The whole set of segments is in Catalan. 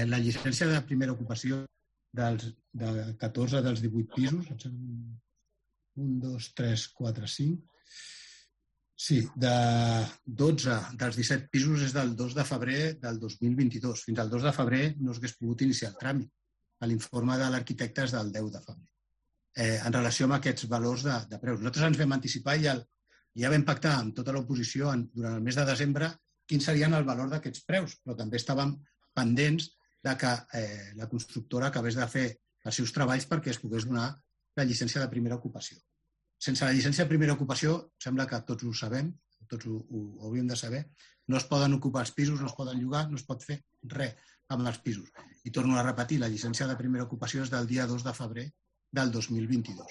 La llicència de primera ocupació de 14 dels 18 pisos, 1, 2, 3, 4, 5... Sí, de 12 dels 17 pisos és del 2 de febrer del 2022. Fins al 2 de febrer no s'hagués pogut iniciar el tràmit. L'informe de l'arquitecte és del 10 de febrer. En relació amb aquests valors de preus. Nosaltres ens vam anticipar i ja vam pactar amb tota l'oposició durant el mes de desembre quins serien el valor d'aquests preus, però també estàvem pendents de que la constructora acabés de fer els seus treballs perquè es pogués donar la llicència de primera ocupació. Sense la llicència de primera ocupació, sembla que tots ho sabem, tots ho hauríem de saber, no es poden ocupar els pisos, no es poden llogar, no es pot fer res amb els pisos. I torno a repetir, la llicència de primera ocupació és del dia 2 de febrer del 2022.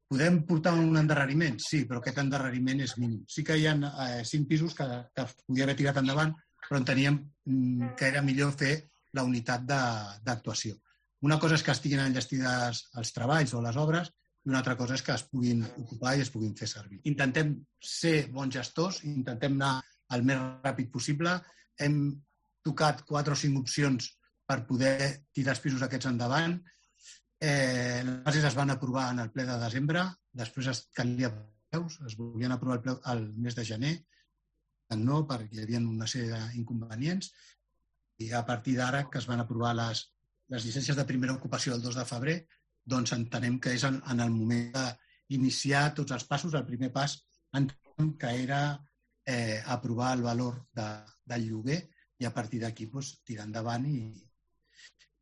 Podem portar un endarreriment? Sí, però aquest endarreriment és mínim. Sí que hi ha 5 pisos que es podia haver tirat endavant, però enteníem que era millor fer la unitat d'actuació. Una cosa és que estiguin enllestides els treballs o les obres, i una altra cosa és que es puguin ocupar i es puguin fer servir. Intentem ser bons gestors, intentem anar el més ràpid possible. Hem tocat 4 o 5 opcions per poder tirar els pisos aquests endavant. Les bases es van aprovar en el ple de desembre, després es calia preus, es volien aprovar el mes de gener, no, perquè hi havia una sèrie d'inconvenients, i a partir d'ara que es van aprovar les llicències de primera ocupació el 2 de febrer, doncs entenem que és en el moment d'iniciar tots els passos. El primer pas entenem que era aprovar el valor del lloguer i a partir d'aquí tirar endavant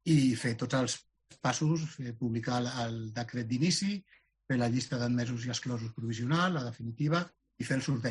i fer tots els passos, publicar el decret d'inici, fer la llista d'admesos i exclosos provisional, la definitiva, i fer el sorteig.